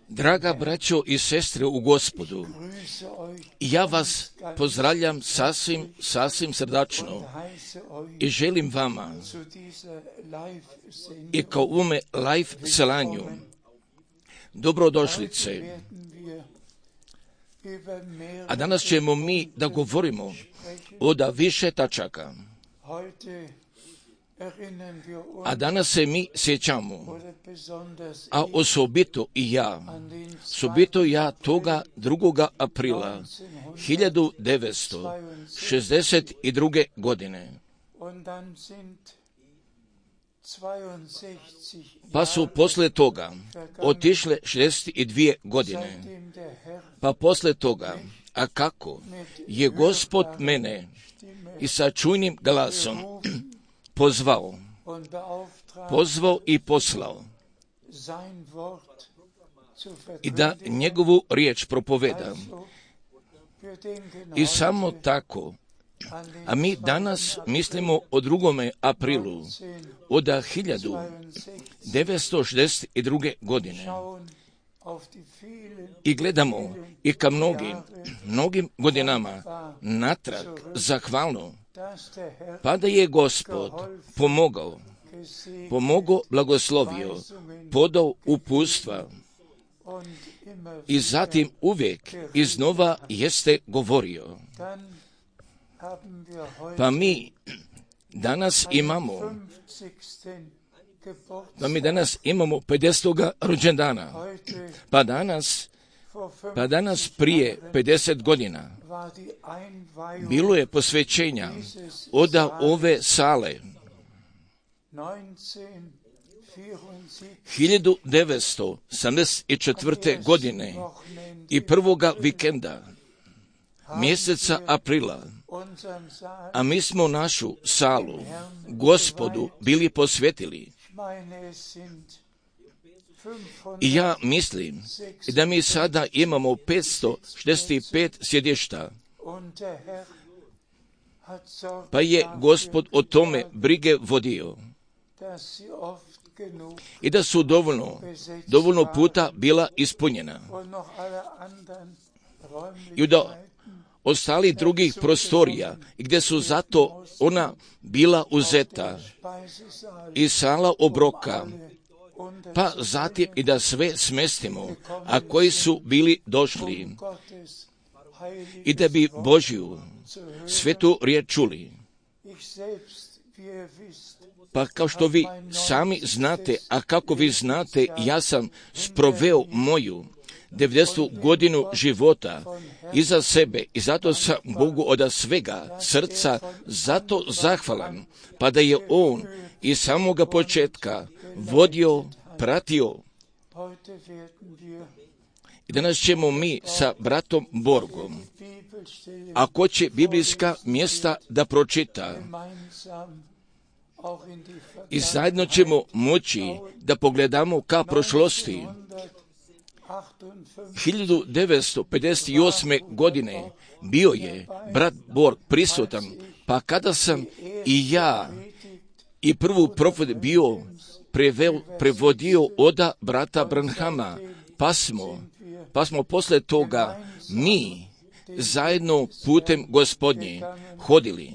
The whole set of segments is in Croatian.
Draga braćo i sestre u Gospodu, ja vas pozdravljam sasvim srdačno i želim vama i kao ovome live selanju dobrodošlice. A danas ćemo mi da govorimo o više tačaka. A danas se mi sjećamo, a osobito i ja toga 2. aprila 1962. godine. Pa su posle toga otišle 62 godine. Pa posle toga, a kako je Gospod mene i sa čujnim glasom pozvao i poslao i da njegovu riječ propoveda. I samo tako, a mi danas mislimo o 2. aprilu od 1962. godine i gledamo i ka mnogim godinama natrag zahvalno, pa da je Gospod pomogao, blagoslovio, podao uputstva i zatim uvijek iznova jeste govorio. Pa mi danas imamo 50. rođendana. Pa danas prije 50 godina bilo je posvećenja od ove sale. 1974. godine i prvog vikenda mjeseca aprila, a mi smo našu salu Gospodu bili posvetili. I ja mislim da mi sada imamo 565 sjedišta. Pa je Gospod o tome brige vodio. I da su dovoljno puta bila ispunjena. I da ostali drugih prostorija, gdje su zato ona bila uzeta i sala obroka, pa zatim i da sve smestimo, a koji su bili došli i da bi Božju svetu riječ čuli. Pa kao što vi sami znate, a kako vi znate, ja sam sproveo moju 90. godinu života iza sebe i zato sam Bogu od svega srca zato zahvalan, pa da je On iz samoga početka vodio, pratio. I danas ćemo mi sa bratom Borgom, ako će biblijska mjesta da pročita, i zajedno ćemo moći da pogledamo ka prošlosti. 1958. godine bio je brat Borg prisutan, pa kada sam i ja i prvu propoved bio prevodio od brata Branhama, pa smo posle toga mi zajedno putem Gospodnje hodili.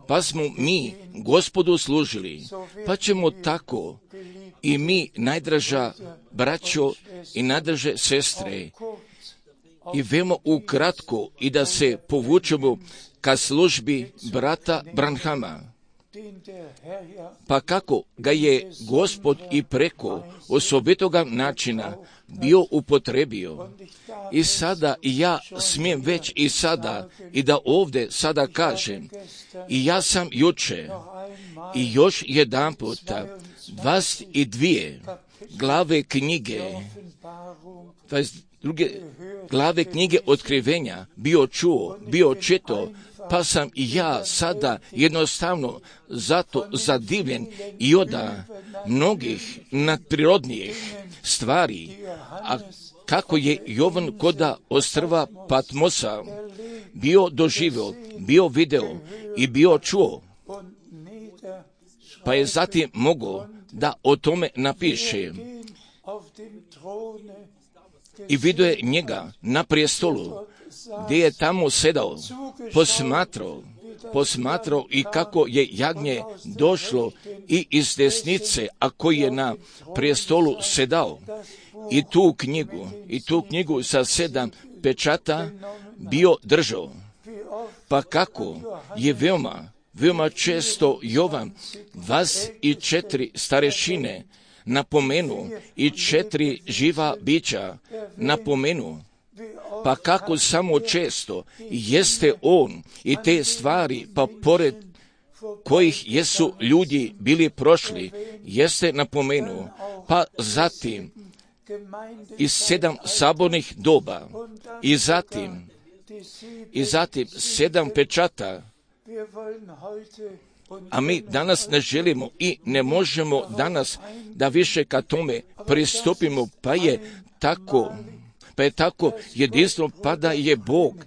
Pa smo mi Gospodu služili, pa ćemo tako i mi, najdraža braćo i najdraže sestre, i veoma ukratko i da se povučemo ka službi brata Branhama. Pa kako ga je Gospod i preko osobitoga načina bio upotrebio. I sada i ja smijem već i sada i da ovdje sada kažem, i ja sam juče i još jedan puta 22 glave knjige, 22 glave knjige otkrivenja bio čito, pa sam i ja sada jednostavno zato zadivljen i od mnogih nadprirodnijih stvari, a kako je Jovan koda ostrva Patmosa bio doživio, bio video i bio čuo, pa je zatim mogao da o tome napiše. I vidio je njega na prijestolu, gdje je tamo sedao, posmatrao i kako je jagnje došlo i iz desnice, a koji je na prijestolu sedao. i tu knjigu sa 7 pečata bio držao. Pa kako je veoma često Jovan 24 starešine napomenu i 4 živa bića napomenu, pa kako samo često jeste on i te stvari, pa pored kojih jesu ljudi bili prošli, jeste napomenuo, pa zatim i 7 sabornih doba i zatim 7 pečata. A mi danas ne želimo i ne možemo danas da više ka tome pristupimo, pa je tako jedinstvo, pa da je Bog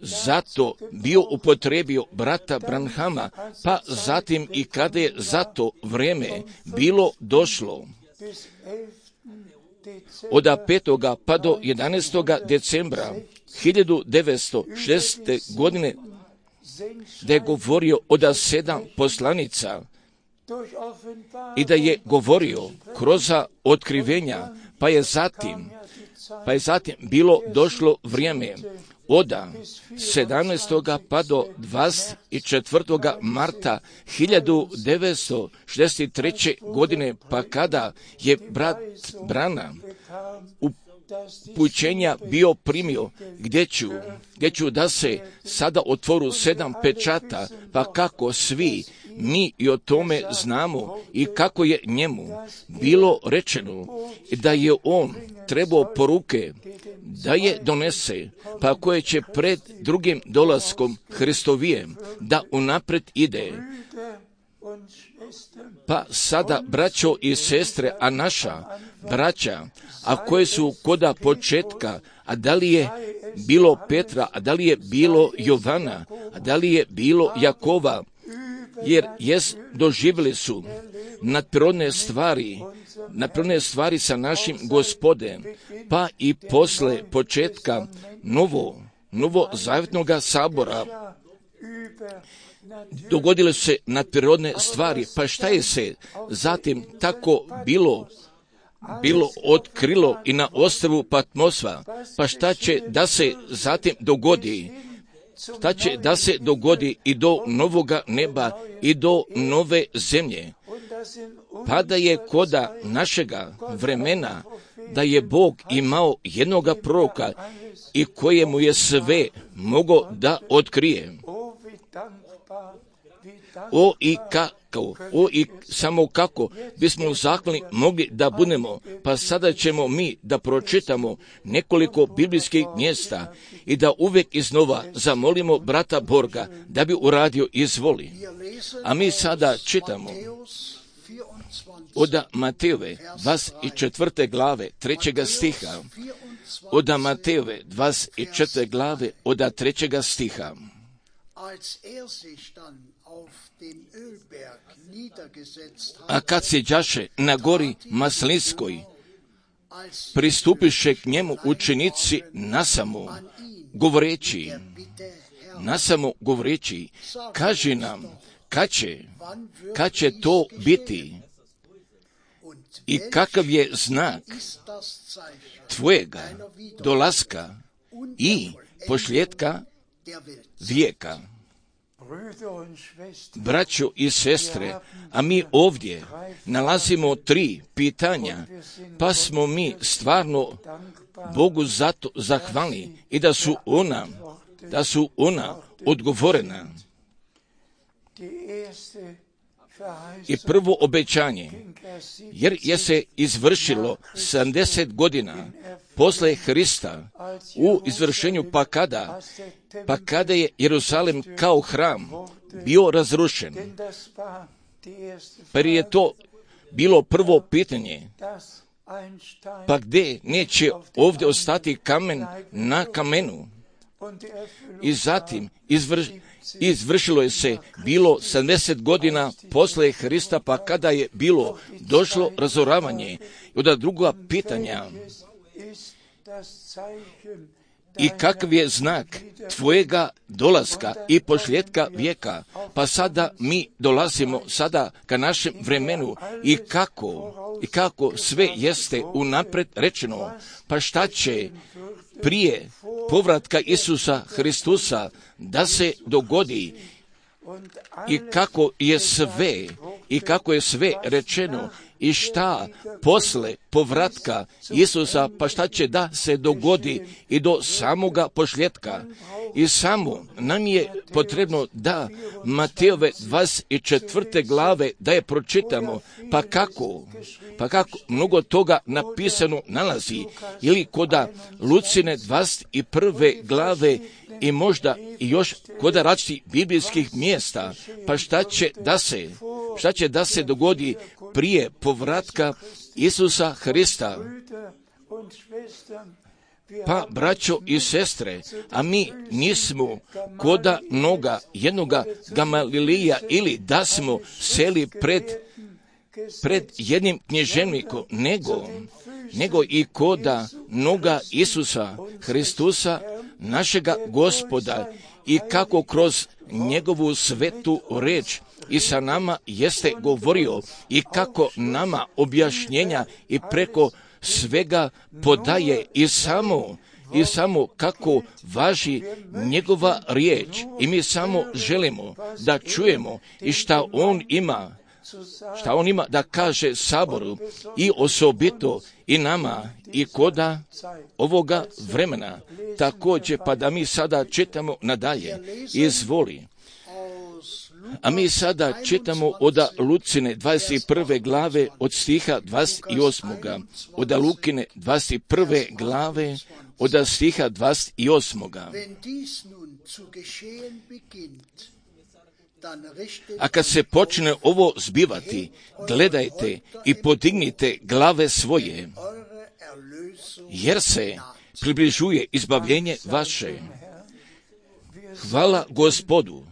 zato bio upotrebio brata Branhama, pa zatim i kada je zato vrijeme bilo došlo, od 5. pa do 11. decembra 1906. godine, da je govorio od 7 poslanica i da je govorio kroz otkrivenja, pa je zatim bilo došlo vrijeme od 17. pa do 24. marta 1963. godine, pa kada je brat Branham upućenja bio primio, gdje ću da se sada otvoru 7 pečata, pa kako svi mi i o tome znamo i kako je njemu bilo rečeno da je on trebao poruke da je donese, pa koje će pred drugim dolaskom Hristovijem da unapred ide. Pa sada, braćo i sestre, a naša braća, a koje su koda početka, a da li je bilo Petra, a da li je bilo Jovana, a da li je bilo Jakova, jer doživjeli su nadprirodne stvari sa našim Gospodem, pa i posle početka novozavjetnog sabora dogodile su se nadprirodne stvari. Pa šta je se zatim tako bilo otkrilo i na ostrvu Patmosva? Pa šta će da se zatim dogodi? Šta će da se dogodi i do novoga neba i do nove zemlje? Pa da je koda našega vremena, da je Bog imao jednoga proroka i kojemu je sve mogao da otkrije. Samo kako bismo zahvalni mogli da budemo. Pa sada ćemo mi da pročitamo nekoliko biblijskih mjesta i da uvijek iznova zamolimo brata Borga da bi uradio izvoli. A mi sada čitamo od Matejove 24. glave 3. stiha. Od Matejove 24. glave od 3. stiha. A kad siđaše na gori Maslinskoj, pristupiše k njemu učenici nasamo govoreći, kaži nam, kad će to biti i kakav je znak tvojega dolaska i pošljetka vijeka. Braćo i sestre, a mi ovdje nalazimo 3 pitanja, pa smo mi stvarno Bogu zato zahvalni i da su ona odgovorena. I prvo obećanje, jer je se izvršilo 70 godina posle Hrista u izvršenju, pa kada je Jerusalim kao hram bio razrušen. Pa je to bilo prvo pitanje, pa gdje neće ovdje ostati kamen na kamenu? I zatim izvršilo je se bilo 70 godina posle Hrista, pa kada je bilo došlo razoravanje. I onda druga pitanja, i kakav je znak tvojega dolaska i posljedka vijeka, pa sada mi dolazimo sada ka našem vremenu i kako sve jeste unaprijed rečeno, pa šta će prije povratka Isusa Hristusa da se dogodi i kako je sve rečeno i šta posle povratka Isusa, pa šta će da se dogodi i do samoga posljedka. I samo nam je potrebno da Matejove 24. glave da je pročitamo, pa kako mnogo toga napisano nalazi, ili koda Lucine 21. glave i možda i još kod različitih biblijskih mjesta, pa šta će da se dogodi prije povratka Isusa Hrista. Pa, braćo i sestre, a mi nismo koda jednoga Gamalilija ili da smo seli pred jednim književnikom, nego i koda noga Isusa Hristusa, našega Gospoda, i kako kroz njegovu svetu reč i sa nama jeste govorio i kako nama objašnjenja i preko svega podaje i samo kako važi njegova riječ, i mi samo želimo da čujemo i šta on ima da kaže saboru i osobito i nama i koda ovoga vremena. Također, pa da mi sada čitamo nadalje, izvoli. A mi sada čitamo od Lucine 21. glave od stiha 28. Od Lukine 21. glave od stiha 28. A kad se počne ovo zbivati, gledajte i podignite glave svoje, jer se približuje izbavljenje vaše. Hvala Gospodu.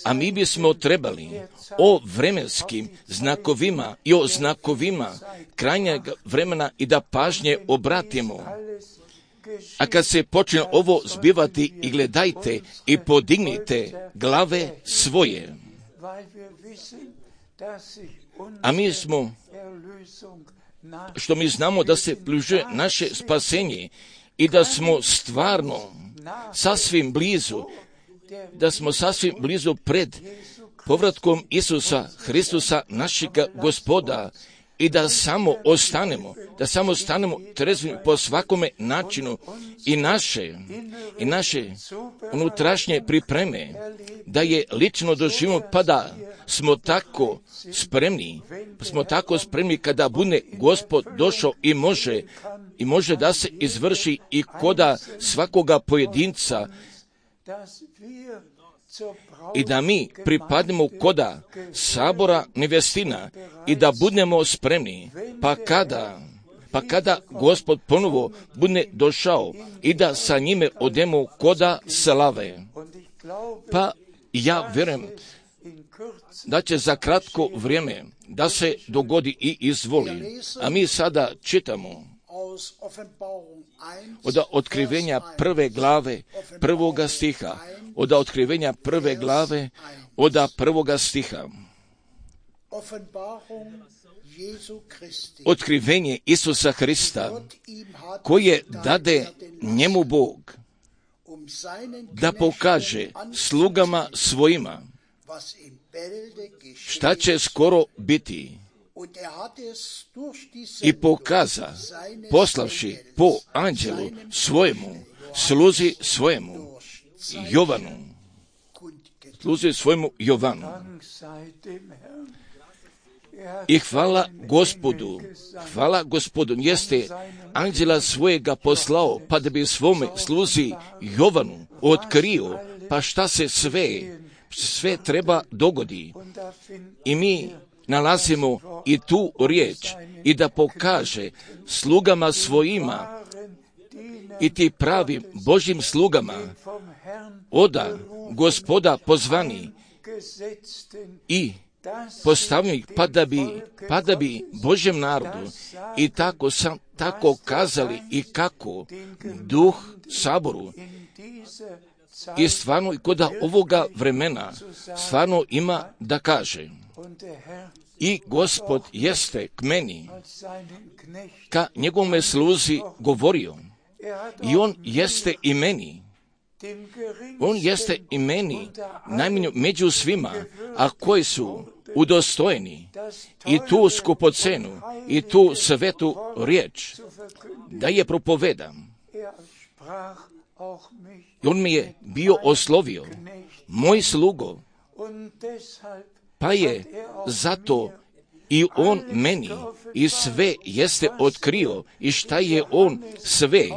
A mi bismo trebali o vremenskim znakovima i o znakovima krajnjeg vremena i da pažnje obratimo. A kad se počne ovo zbivati, i gledajte i podignite glave svoje. A mi smo, što mi znamo da se bliže naše spasenje i da smo stvarno sasvim blizu pred povratkom Isusa Hristusa, našega Gospoda, i da samo ostanemo trezveni po svakome načinu i naše unutrašnje pripreme, da je lično doživimo, pa da smo tako spremni kada bude Gospod došao i može da se izvrši i koda svakoga pojedinca, i da mi pripadnemo koda sabora nevjestina i da budemo spremni, pa kada Gospod ponovo bude došao i da sa njime odemo koda slave. Pa ja vjerujem da će za kratko vrijeme da se dogodi i izvoli. A mi sada čitamo od Otkrivenja 1. glave 1. stiha, od Otkrivenja 1. glave od 1. stiha. Otkrivenje Isusa Hrista, koje dade njemu Bog da pokaže slugama svojima šta će skoro biti, i pokaza, poslavši po anđelu svojemu, sluzi svojemu Jovanu. I hvala Gospodu, jeste anđela svojega poslao, pa da bi svome sluzi Jovanu otkrio, pa šta se sve treba dogodi. I mi nalazimo i tu riječ, i da pokaže slugama svojima, i ti pravim Božjim slugama, oda Gospoda pozvani, i postavljenih, pa da bi Božjem narodu i tako kazali i kako duh saboru i stvarno i kod ovoga vremena stvarno ima da kaže. I Gospod jeste k meni, ka njegovome sluzi govorio. I on jeste i meni. On jeste i meni, najmanje među svima, a koji su udostojeni i tu skupocenu i tu svetu riječ, da je propovedam. I on mi je bio oslovio, moj slugo, pa je zato i on meni i sve jeste otkrio i šta je on sve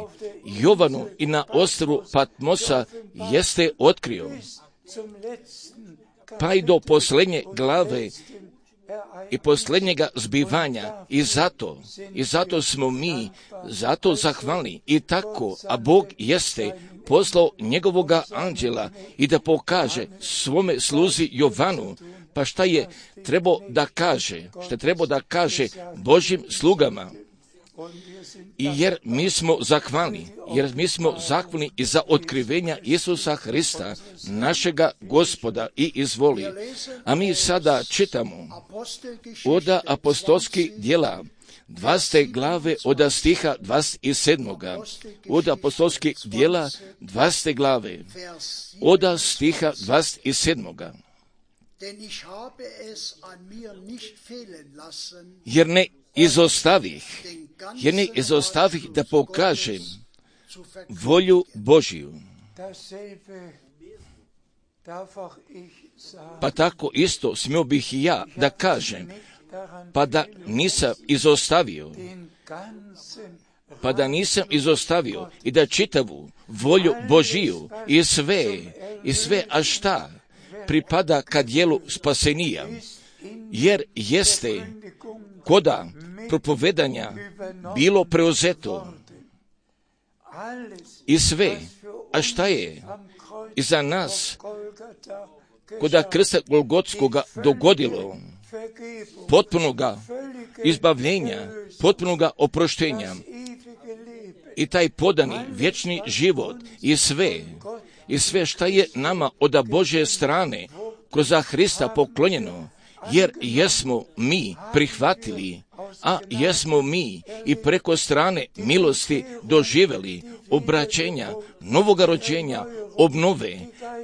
Jovanu i na ostrvu Patmosa jeste otkrio. Pa i do posljednje glave i posljednjega zbivanja i zato smo mi zato zahvalni i tako, a Bog jeste poslao njegovoga anđela i da pokaže svome sluzi Jovanu, pa šta je trebao da kaže Božjim slugama. I jer mi smo zahvalni i za otkrivenja Isusa Hrista, našega Gospoda i izvoli. A mi sada čitamo od apostolskih djela, 20. glave od stiha 27. Od apostolskih djela, 20. glave od stiha 27. Jer ne izostavih da pokažem volju Božiju. Pa tako isto smio bih i ja da kažem, pa da nisam izostavio i da čitavu volju Božiju i sve, a šta pripada ka dijelu spasenija, jer jeste koda propovedanja bilo preuzeto i sve, a šta je iza nas koda krsta Golgotskoga dogodilo, potpunoga izbavljenja, potpunoga oproštenja i taj podani vječni život i sve šta je nama od Božje strane kroz Hrista poklonjeno, jer jesmo mi prihvatili, a jesmo mi i preko strane milosti doživjeli obraćenja, novoga rođenja, obnove,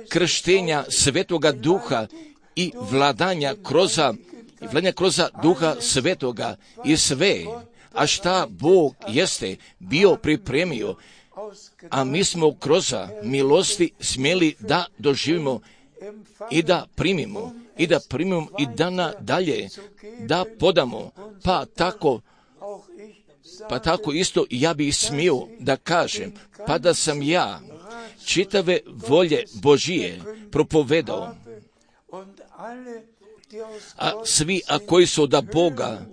krštenja Svetoga Duha i vladanja kroz Duha Svetoga i sve, a šta Bog jeste bio pripremio, a mi smo kroz milosti smjeli da doživimo i da primimo i da nadalje da podamo, pa tako isto ja bih smio da kažem, pa da sam ja čitave volje Božije propovedao, a svi koji su od Boga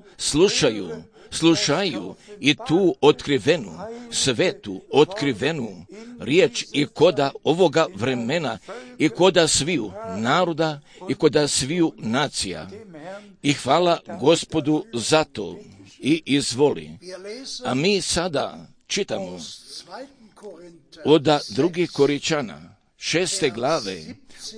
slušaju i tu otkrivenu, svetu otkrivenu riječ i koda ovoga vremena i koda sviju naroda i koda sviju nacija. I hvala Gospodu za to i izvoli. A mi sada čitamo od 2. Koričana 6. glave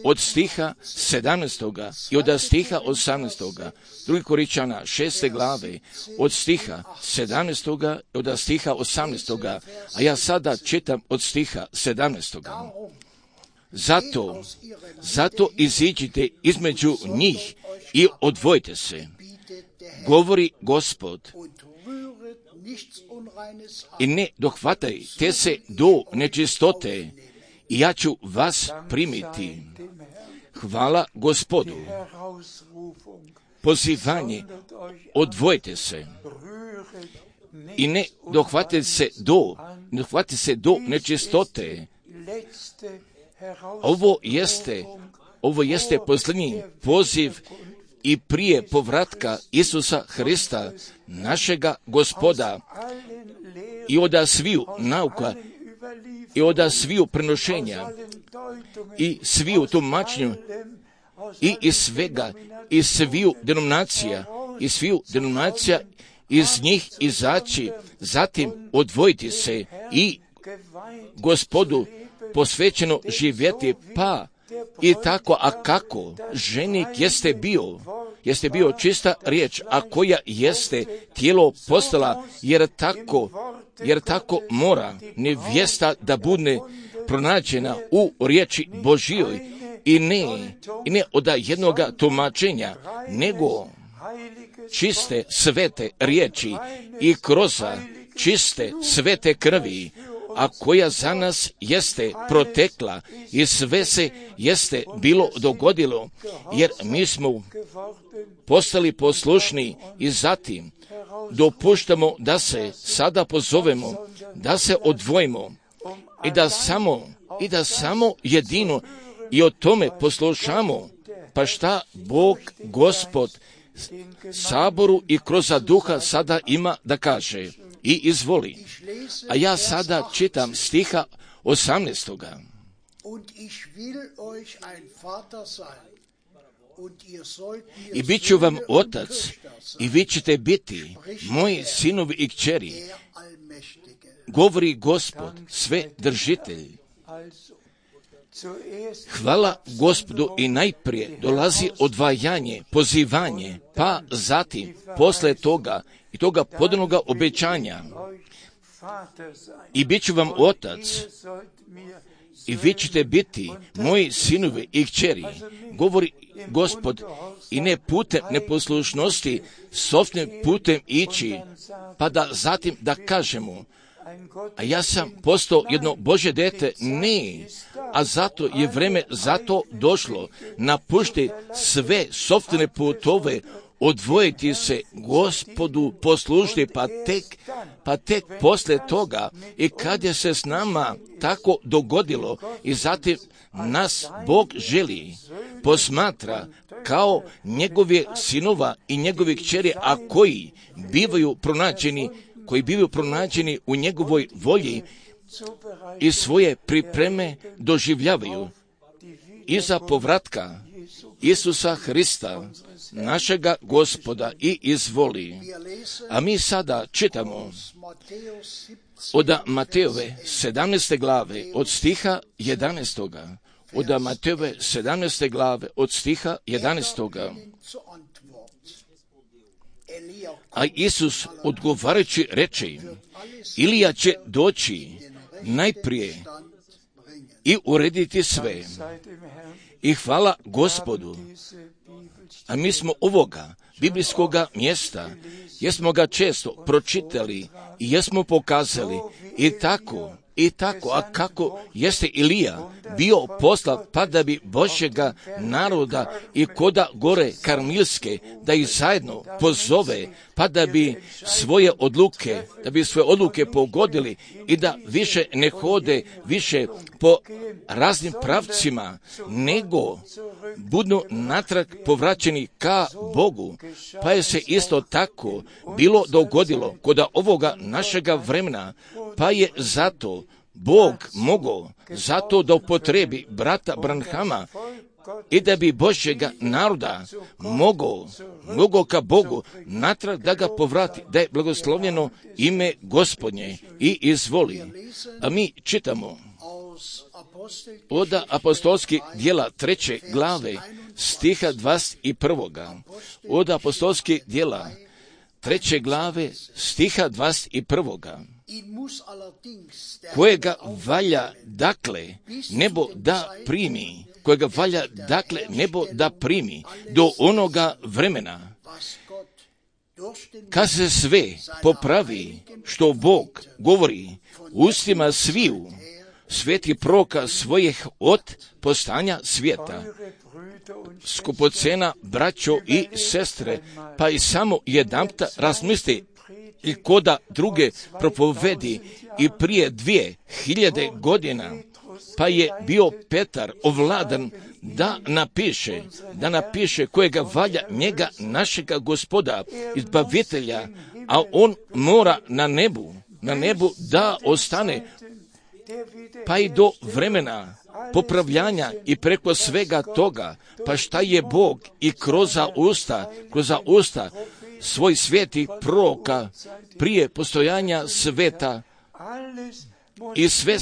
od stiha 17. i od stiha 18. 2. Koričana 6. glave od stiha 17. i od stiha 18. A ja sada čitam od stiha 17. Zato iziđite između njih i odvojite se, govori Gospod, i ne dohvatajte se do nečistote, i ja ću vas primiti. Hvala Gospodu. Pozivanje, odvojite se i ne dohvatite se do nečistote. Ovo jeste posljednji poziv i prije povratka Isusa Hrista, našega Gospoda, i od sviju nauka i od sviju prenošenja i sviju tumačenju i iz svega, iz sviju denominacija, iz njih izaći, zatim odvojiti se i Gospodu posvećeno živjeti, pa i tako, a kako ženik jeste bio čista riječ, a koja jeste tijelo postala, jer tako mora nevjesta da bude pronađena u riječi Božjoj i ne od jednoga tumačenja, nego čiste svete riječi i kroz čiste svete krvi, a koja za nas jeste protekla i sve se jeste bilo dogodilo, jer mi smo postali poslušni i zatim dopuštamo da se sada pozovemo, da se odvojimo i da samo jedino i o tome poslušamo, pa šta Bog, Gospod, Saboru i kroz duha sada ima da kaže i izvoli. A ja sada čitam stiha 18. I bit ću vam otac i vi ćete biti moji sinovi i kćeri, govori Gospod, sve držitelj. Hvala Gospodu i najprije dolazi odvajanje, pozivanje, pa zatim posle toga i toga podanog obećanja. I bit ću vam otac i vi ćete biti moji sinovi i kćeri, govori Gospod, i ne putem neposlušnosti, sofnim putem ići, pa da zatim da kažemo, a ja sam postao jedno Božje dete, ne, a zato je vreme zato došlo, napušti sve sopstvene putove, odvojiti se Gospodu, poslušiti, pa tek posle toga i kad je se s nama tako dogodilo i zatim nas Bog želi, posmatra kao njegove sinova i njegovi kćeri, a koji bivaju pronađeni u njegovoj volji i svoje pripreme doživljavaju iza povratka Isusa Hrista, našega Gospoda, i izvoli. A mi sada čitamo od Matejove 17. glave od stiha 11. Od Matejove 17. glave od stiha 11. A Isus odgovarajući reče, Ilija će doći najprije i urediti sve. I hvala Gospodu. A mi smo ovoga biblijskoga mjesta, jesmo ga često pročitali i jesmo pokazali i tako, a kako jeste Ilija bio poslat pa da bi Božjega naroda i koda gore Karmilske, da ih zajedno pozove, pa da bi svoje odluke pogodili i da više ne hode više po raznim pravcima, nego budu natrag povraćeni ka Bogu. Pa je se isto tako bilo dogodilo kod ovoga našega vremena, pa je zato Bog mogao zato da upotrebi brata Branhama i da bi Božjega naroda mogao ka Bogu natrag da ga povrati, da je blagoslovljeno ime Gospodnje, i izvoli. A mi čitamo od apostolskih djela 3. glave stiha 21. Od apostolskih djela 3. glave stiha 21. Kojega valja dakle nebo da primi do onoga vremena kad se sve popravi što Bog govori ustima sviju sveti proroka svojih od postanja svijeta. Skupocena braćo i sestre, pa i samo jedanputa razmisli i koda druge propovedi i prije 2000 godina, pa je bio Petar ovladan da napiše kojega valja njega našega Gospoda, izbavitelja, a on mora na nebu da ostane pa i do vremena popravljanja i preko svega toga, pa šta je Bog i kroz usta svoj svetih proroka prije postojanja sveta i sve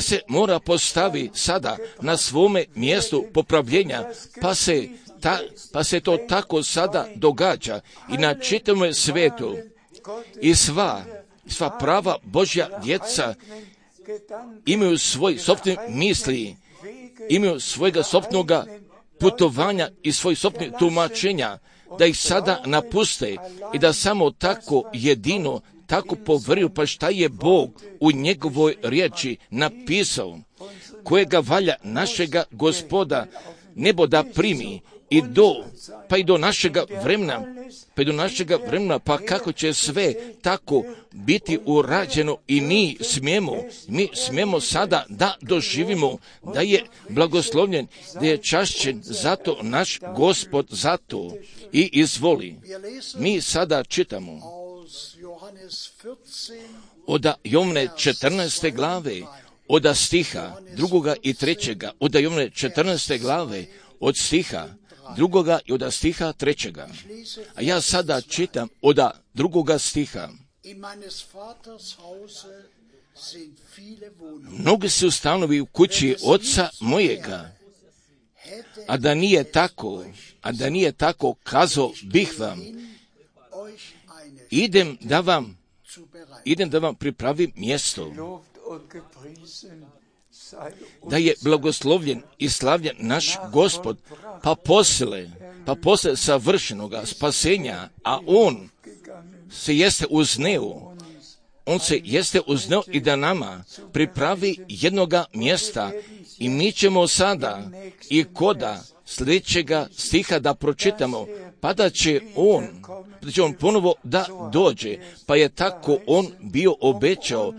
se mora postavi sada na svome mjestu popravljenja, pa se to tako sada događa i na čitavom svetu i sva prava Božja djeca imaju svoj sopstveni misli, imaju svojega sopstvenog putovanja i svoj sopstvenih tumačenja, da ih sada napuste i da samo tako jedino, tako povjeruju, pa šta je Bog u njegovoj riječi napisao, kojega valja našega Gospoda nebo da primi i do našega vremena, pa kako će sve tako biti urađeno i mi smijemo sada da doživimo da je blagoslovljen, da je čašćen zato naš Gospod zato i izvoli. Mi sada čitamo od Jovne 14. glave, od stiha 2. i 3. od Jovne 14. glave, od stiha 2. i od stiha 3. A ja sada čitam od 2. stiha. Mnogi su stanovi u kući oca mojega, a da nije tako, kazao bih vam, idem da vam pripravim mjesto. Da je blagoslovljen i slavljen naš Gospod, pa posle savršenoga spasenja, a on se jeste uzneo i da nama pripravi jednoga mjesta i mi ćemo sada i koda sljedećega stiha da pročitamo, pa da će on ponovo da dođe, pa je tako on bio obećao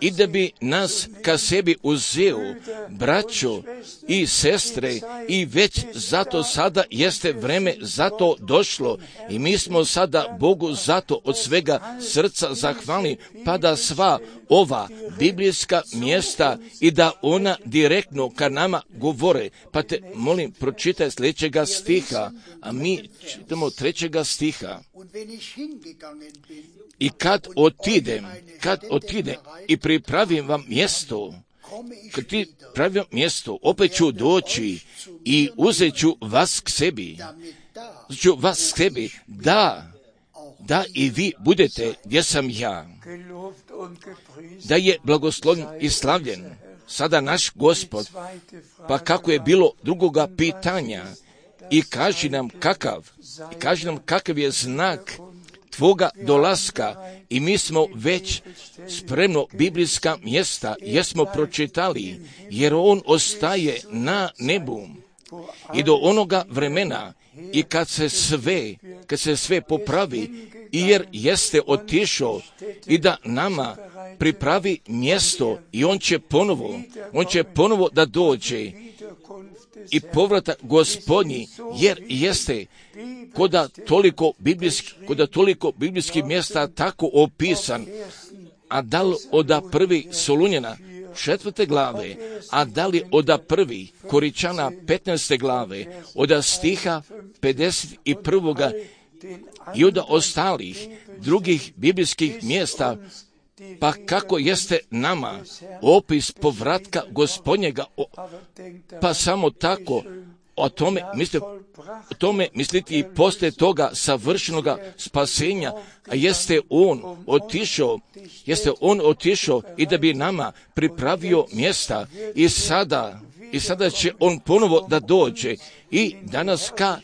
i da bi nas ka sebi uzeo, braćo i sestre, i već zato sada jeste vreme zato došlo i mi smo sada Bogu zato od svega srca zahvalni, pa da sva ova biblijska mjesta i da ona direktno ka nama govore. Pa te molim, pročitaj sljedećega stiha, a mi čitamo 3. stiha. I kad otidem i pripravim vam mjesto, opet ću doći i uzet ću vas k sebi, da i vi budete gdje sam ja. Da je blagoslovljen i slavljen sada naš Gospod, pa kako je bilo drugoga pitanja i kaži nam kakav je znak tvoga dolaska, i mi smo već spremno biblijska mjesta jesmo pročitali, jer on ostaje na nebu i do onoga vremena i kad se sve popravi, jer jeste otišao i da nama pripravi mjesto i on će ponovo da dođe i povrata Gospodnji, jer jeste koda toliko biblijskih mjesta tako opisan, a da li od 1. Solunjana 4. glave, a da li od 1. Koričana 15. glave, od stiha 51. i od ostalih drugih biblijskih mjesta, pa kako jeste nama opis povratka Gospodnjega, pa samo tako o tome misliti i poslije toga savršenoga spasenja, a jeste on otišao i da bi nama pripravio mjesta i sada će on ponovo da dođe i da nas ka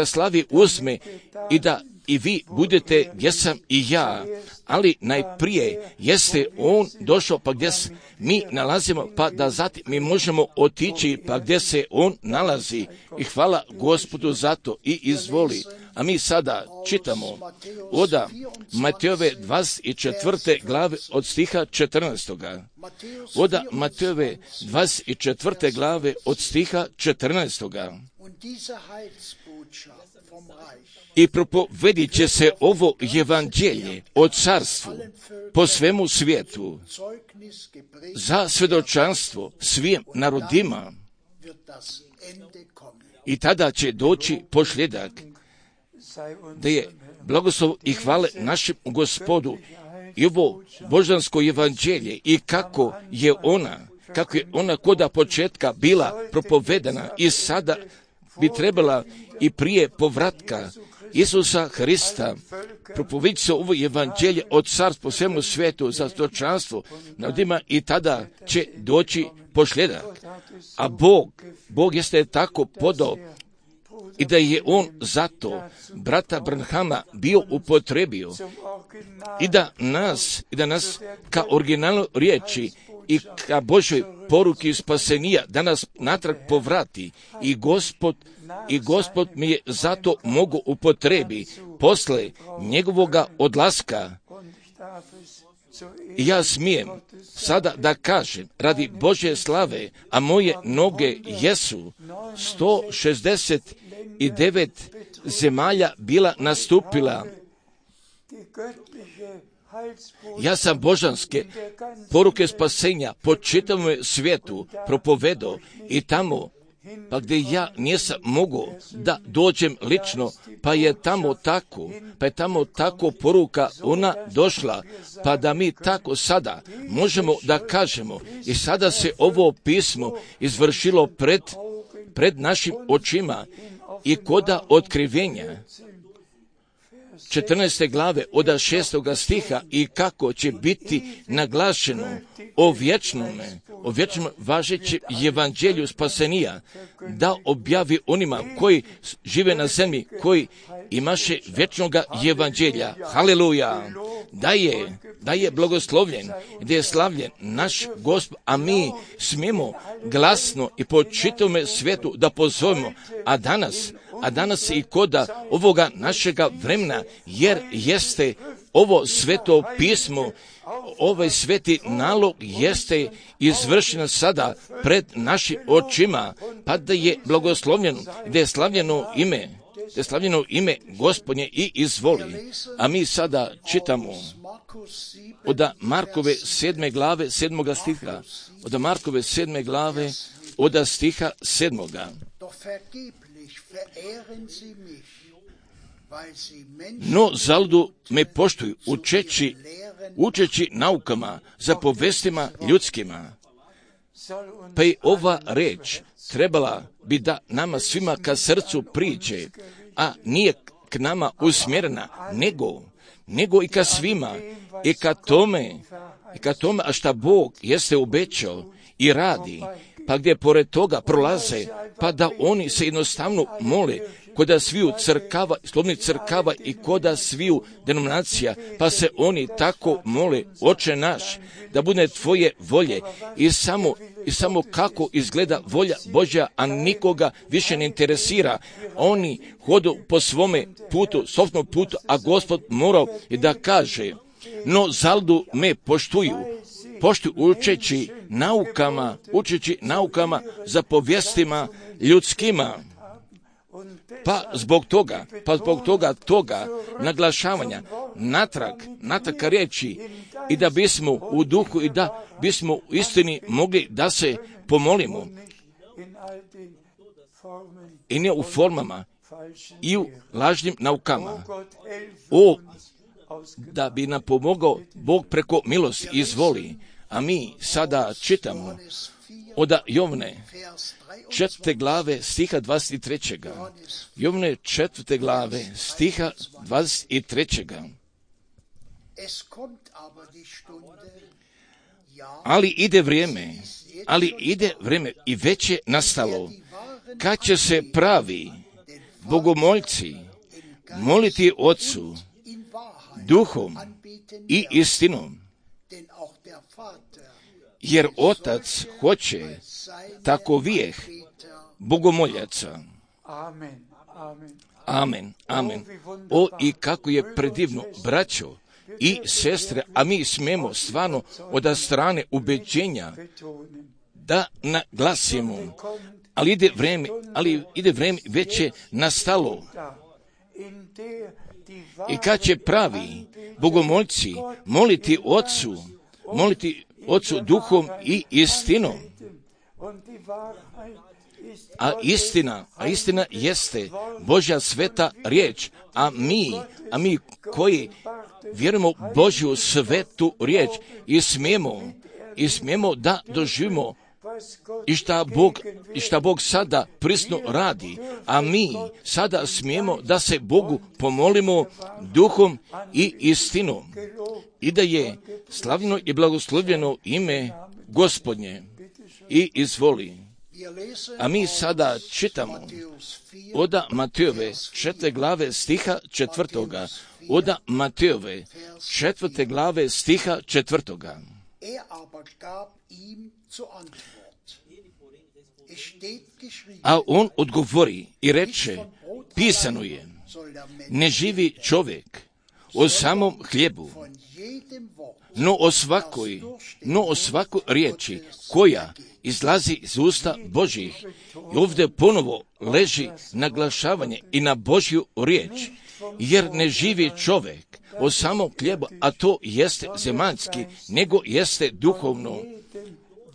slavi uzme i da i vi budete gdje sam i ja, ali najprije jeste on došao pa gdje se mi nalazimo, pa da zatim mi možemo otići pa gdje se on nalazi, i hvala Gospodu za to i izvoli. A mi sada čitamo od Matejove 24. glave od stiha 14. Od Matejove 24. glave od stiha 14. i propovedit će se ovo evanđelje o carstvu po svemu svijetu za svjedočanstvo svim narodima. I tada će doći posljedak, da je blagoslov i hvale našem Gospodu i ovo božansko evanđelje i kako je ona koda početka bila propovedana i sada bi trebala i prije povratka Isusa Hrista propovediti se ovo evanđelje od carstva po svemu svijetu za svjedočanstvo narodima i tada će doći posljedak. A Bog jeste tako podao i da je on zato brata Branhama bio upotrebio i da nas ka originalnoj riječi i ka Božoj poruki spasenija da nas natrag povrati i Gospod mi je zato mogu upotrebi posle njegovoga odlaska. I ja smijem sada da kažem radi Božje slave, a moje noge jesu 169 zemalja bila nastupila. Ja sam božanske poruke spasenja po čitavom svijetu propovedao i tamo, pa gdje ja nisam mogao da dođem lično, pa je tamo tako poruka ona došla, pa da mi tako sada možemo da kažemo i sada se ovo pismo izvršilo pred našim očima i koda otkrivenja 14. glave od 6. stiha i kako će biti naglašeno o vječnom važećem evanđelju spasenija da objavi onima koji žive na zemlji, koji imaše vječnoga evanđelja. Haleluja! Da je blagoslovljen, da je slavljen naš Gospod, a mi smijemo glasno i po čitavome svijetu da pozovemo, a danas i koda ovoga našega vremena, jer jeste ovo sveto pismo, ovaj sveti nalog jeste izvršen sada pred našim očima, pa da je blagoslovljeno, da je slavljeno ime Gospodnje i izvoli. A mi sada čitamo od Markove 7. glave 7. stiha, od Markove 7. glave od stiha 7. No zaludu me poštuju, učeći naukama, zapovestima ljudskima. Pa i ova reč trebala bi da nama svima ka srcu priđe, a nije k nama usmjerena, nego i ka svima, i ka tome, a šta Bog jeste obećao i radi, pa gdje pored toga prolaze, pa da oni se jednostavno mole, koda sviju crkava, slobodnih crkava i koda sviju denominacija, pa se oni tako mole, Oče naš, da bude tvoje volje i samo kako izgleda volja Božja, a nikoga više ne interesira. Oni hodu po svome putu, sopstvenom putu, a Gospod morao i da kaže, no zaludu me poštuju učeći naukama zapovjestima ljudskima. Pa zbog toga naglašavanja natrag riječi i da bismo u duhu i da bismo u istini mogli da se pomolimo i ne u formama i u lažnim naukama. Da bi nam pomogao Bog preko milosti izvoli. A mi sada čitamo od Jovne 4. glave stiha 23. Jovne 4. glave stiha 23. Ali ide vrijeme i već je nastalo, kad će se pravi bogomoljci moliti Otcu duhom i istinom, jer Otac hoće takovijeh bogomoljaca. Amen. O, i kako je predivno, braćo i sestre, a mi smijemo stvarno od strane ubeđenja da naglasimo, ali ide vrijeme, već je nastalo, I kad će pravi bogomolci moliti Otcu duhom i istinom. A istina jeste Božja sveta riječ, a mi koji vjerujemo Božju svetu riječ i smijemo da doživimo i šta Bog sada prisno radi, a mi sada smijemo da se Bogu pomolimo duhom i istinom i da je slavljeno i blagoslovljeno ime Gospodnje. I izvoli. A mi sada čitamo od Matejove 4. glave stiha 4. Od Matejove 4. glave stiha 4. A on odgovori i reče, pisano je, ne živi čovjek o samom hljebu, no o svakoj riječi koja izlazi iz usta Božjih. I ovdje ponovo leži naglašavanje i na Božju riječ, jer ne živi čovjek o samom hljebu, a to jeste zemaljski, nego jeste duhovno.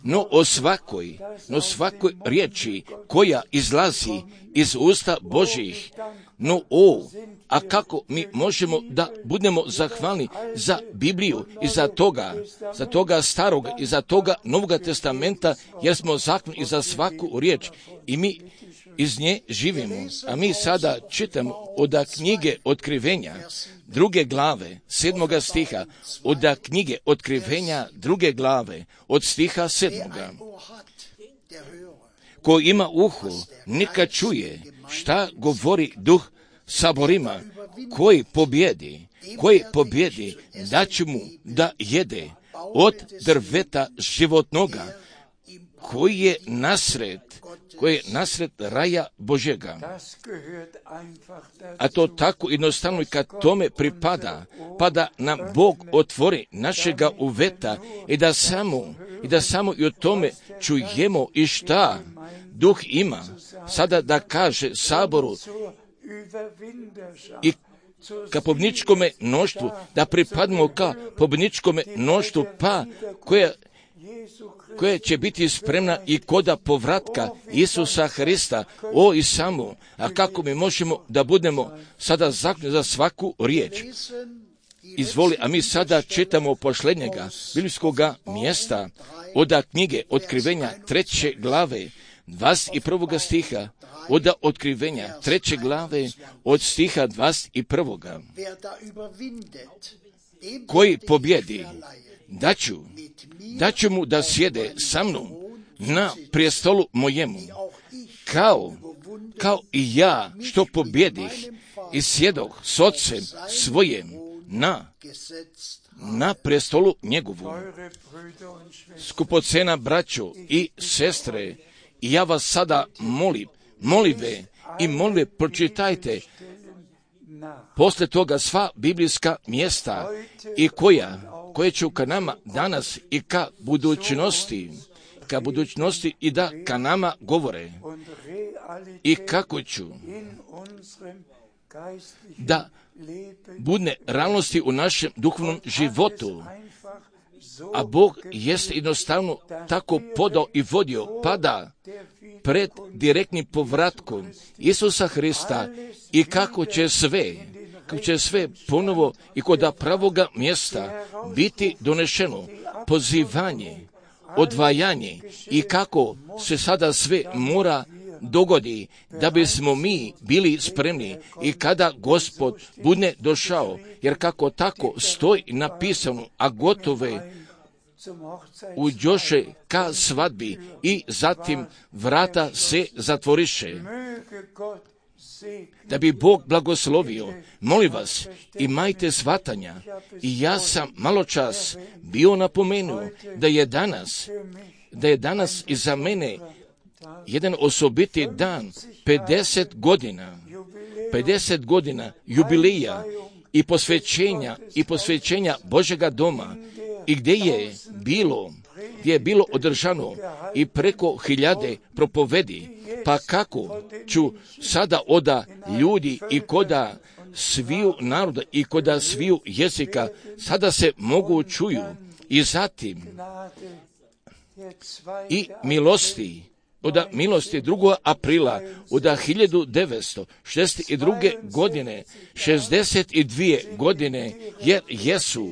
No o svakoj riječi koja izlazi iz usta Božjih. A kako mi možemo da budemo zahvalni za Bibliju i za toga starog i za toga Novoga testamenta, jer smo zahvalni i za svaku riječ i mi iz nje živimo. A mi sada čitamo od knjige Otkrivenja 2. glave 7. stiha, od knjige Otkrivenja 2. glave od stiha 7. Ko ima uho, neka čuje šta govori Duh saborima. Koji pobjedi, da će mu da jede od drveta životnoga, koji je nasred raja Božjega. A to tako jednostavno i kad tome pada nam Bog otvori našega uveta i da samo i o tome čujemo i šta Duh ima sada da kaže saboru i ka pobjedničkome mnoštvu, da pripadimo ka pobjedničkome mnoštvu, pa koja će biti spremna i koda povratka Isusa Hrista. I samo, a kako mi možemo da budemo sada zakljeni za svaku riječ? Izvoli, a mi sada čitamo posljednjega biblijskoga mjesta od knjige Otkrivenja 3. glave 21. stiha, od Otkrivenja 3. glave od stiha 21. Koji pobjedi, daću mu da sjede sa mnom na prijestolu mojemu, kao i ja što pobjedih i sjedoh s Otcem svojim na prijestolu njegovu. Skupocena braćo i sestre, i ja vas sada molim, pročitajte posle toga sva biblijska mjesta i koje će ka nama danas i ka budućnosti i da ka nama govore i kako ću da budne realnosti u našem duhovnom životu. A Bog jeste jednostavno tako podao i vodio, pada pred direktnim povratkom Isusa Hrista i kako će sve ponovo i kod pravoga mjesta biti donešeno pozivanje, odvajanje i kako se sada sve mora dogodi da bismo mi bili spremni i kada Gospod bude došao, jer kako tako stoji napisano, a gotove uđoše ka svadbi i zatim vrata se zatvoriše. Da bi Bog blagoslovio, molim vas, imajte shvatanja. I ja sam malo čas bio napomenuo da je danas i za mene jedan osobiti dan, 50 godina jubileja i posvećenja Božega doma, i gdje je bilo gdje je bilo održano i preko 1000 propovedi, pa kako ću sada oda ljudi i koda sviju naroda i koda sviju jezika sada se mogu čuju i zatim i milosti od milosti 2. aprila od 1962. godine 62 godine jer jesu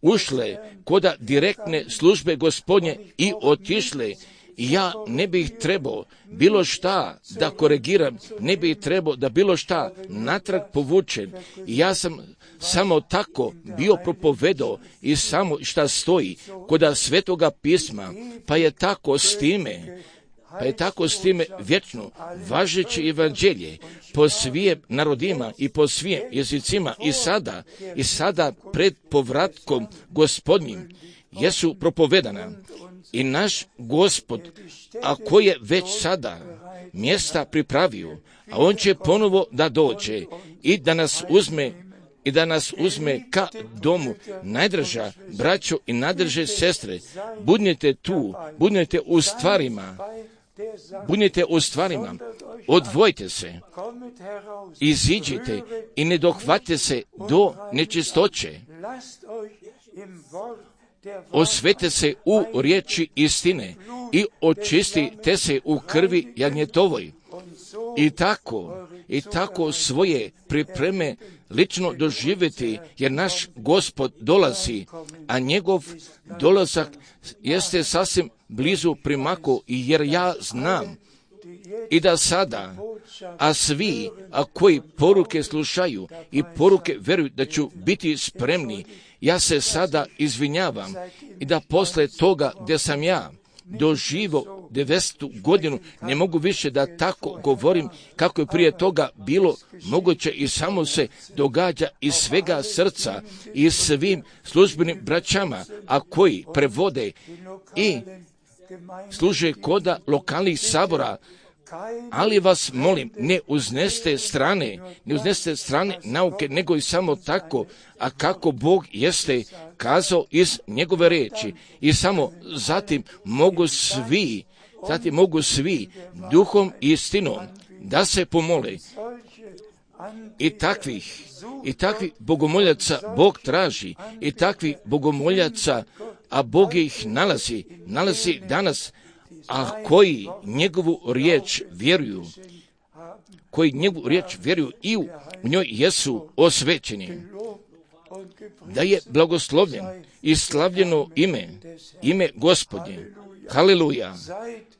ušle koda direktne službe Gospodnje i otišle. Ja ne bih trebao bilo šta da korigiram, ne bih trebao da bilo šta natrag povučem. Ja sam samo tako bio propovedao i samo šta stoji koda Svetoga pisma, pa je tako s time vječno važeće evanđelje po svim narodima i po svim jezicima i sada pred povratkom Gospodnjim jesu propovedana. I naš Gospod, ako je već sada mjesta pripravio, a on će ponovo da dođe i da nas uzme ka domu. Najdraža braćo i najdraže sestre, budnite tu, budnite u stvarima, odvojite se, iziđite i ne dohvate se do nečistoće. Osvete se u riječi istine i očistite se u krvi jagnjetovoj. I tako svoje pripreme lično doživjeti, jer naš Gospod dolazi, a njegov dolazak jeste sasvim blizu primako, jer ja znam i da sada, a svi koji poruke slušaju i poruke vjeruju da ću biti spremni, ja se sada izvinjavam i da posle toga gdje sam ja doživo 90. godinu, ne mogu više da tako govorim kako je prije toga bilo moguće i samo se događa iz svega srca i svim službenim braćama, a koji prevode i služe koda lokalnih sabora. Ali vas molim, ne uzneste strane nauke, nego i samo tako, a kako Bog jeste kazao iz njegove riječi. I samo zatim mogu svi duhom i istinom da se pomole. I takvih bogomoljaca Bog traži, i takvih bogomoljaca, a Bog ih nalazi danas, a koji njegovu riječ vjeruju, i u njoj jesu osvećeni. Da je blagoslovljen i slavljeno ime Gospodnje. Haleluja.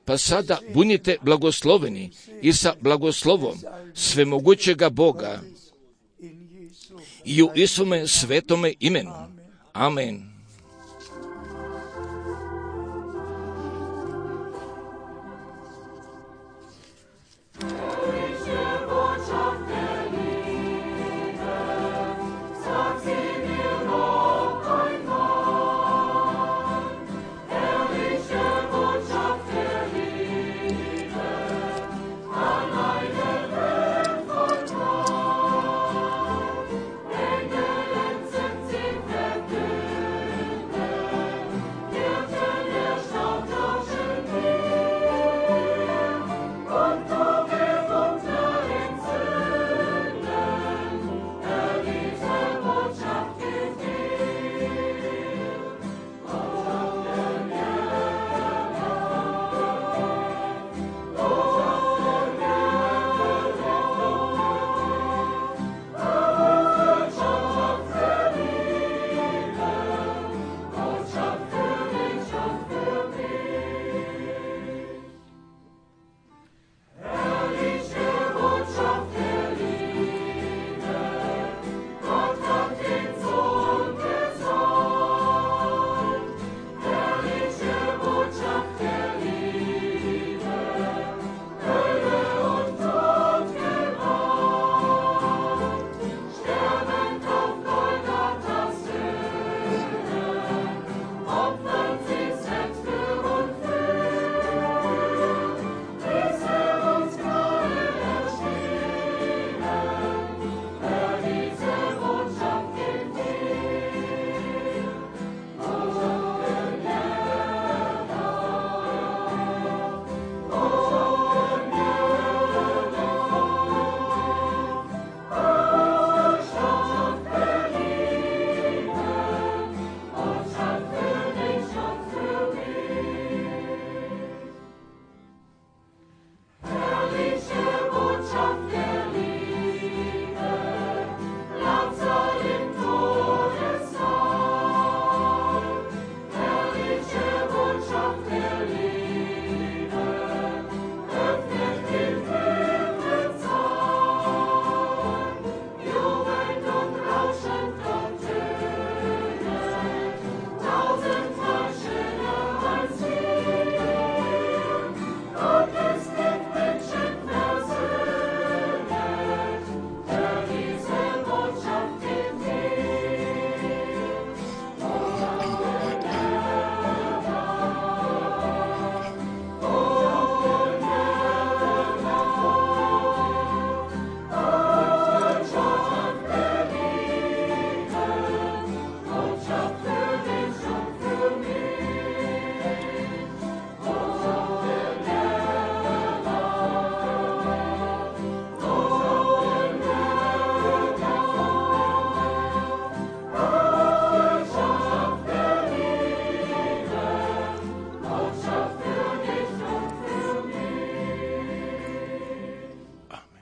Pa sada budite blagosloveni i sa blagoslovom svemogućega Boga i u Isome svetome imenu. Amen.